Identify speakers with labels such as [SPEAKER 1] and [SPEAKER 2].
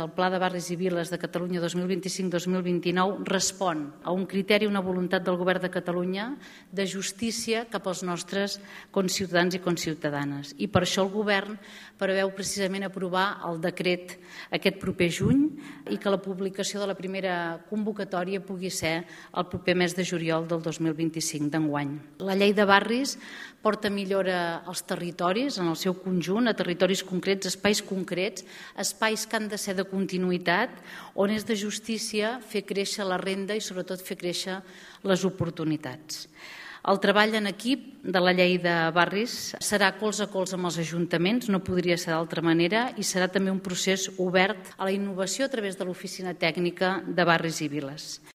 [SPEAKER 1] El Pla de Barris i Viles de Catalunya 2025-2029 respon a un criteri, una voluntat del Govern de Catalunya de justícia cap als nostres conciutadans i conciutadanes. I per això el Govern preveu precisament aprovar el decret aquest proper juny i que la publicació de la primera convocatòria pugui ser el proper mes de juliol del 2025 d'enguany. La llei de barris porta millora als territoris en el seu conjunt, a territoris concrets, espais concrets, espais que han de ser de continuïtat, on és de justícia fer créixer la renda i sobretot fer créixer les oportunitats. El treball en equip de la llei de barris serà colze a colze amb els ajuntaments, no podria ser d'altra manera, i serà també un procés obert a la innovació a través de l'Oficina Tècnica de Barris i Viles.